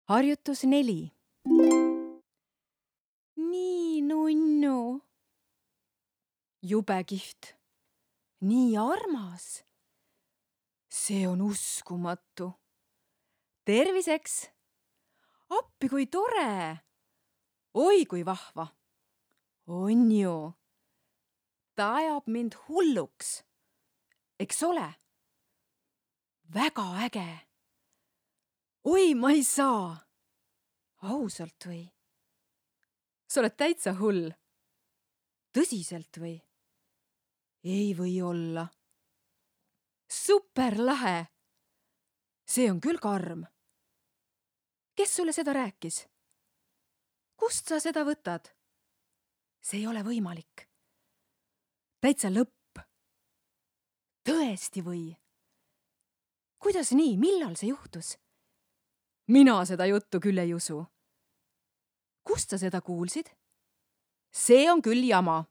Harjutus 4. Nii nunnu. Jube kihvt. Nii armas. See on uskumatu. Terviseks. Appi kui tore. Oi kui vahva. On ju. Ta ajab mind hulluks. Eks ole? Väga äge. Oi, ma ei saa. Ausalt või? Sa oled täitsa hull. Tõsiselt või? Ei või olla. Superlahe. See on küll karm. Kes sulle seda rääkis? Kust sa seda võtad? See ei ole võimalik. Täitsa lõpp. Tõesti või? Kuidas nii? Millal see juhtus? Mina seda juttu küll ei usu. Kust sa seda kuulsid? See on küll jama.